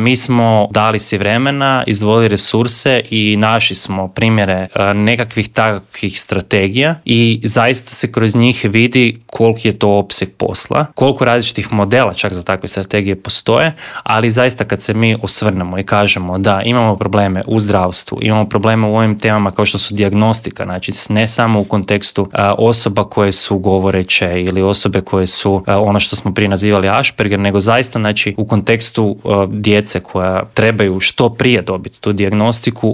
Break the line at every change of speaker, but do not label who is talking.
Mi smo dali si vremena, izdvojili resurse i našli smo primjere nekakvih takvih strategija i zaista se kroz njih vidi koliki je to opseg posla, koliko različitih modela čak za takve strategije postoje, ali zaista kad se mi osvrnemo i kažemo da imamo probleme u zdravstvu, imamo probleme u ovim temama kao što su dijagnostika, znači ne samo u kontekstu osoba koje su govoreće ili osobe koje su ono što smo prije nazivali Asperger, nego zaista znači u kontekstu djece koja trebaju što prije dobiti tu dijagnostiku,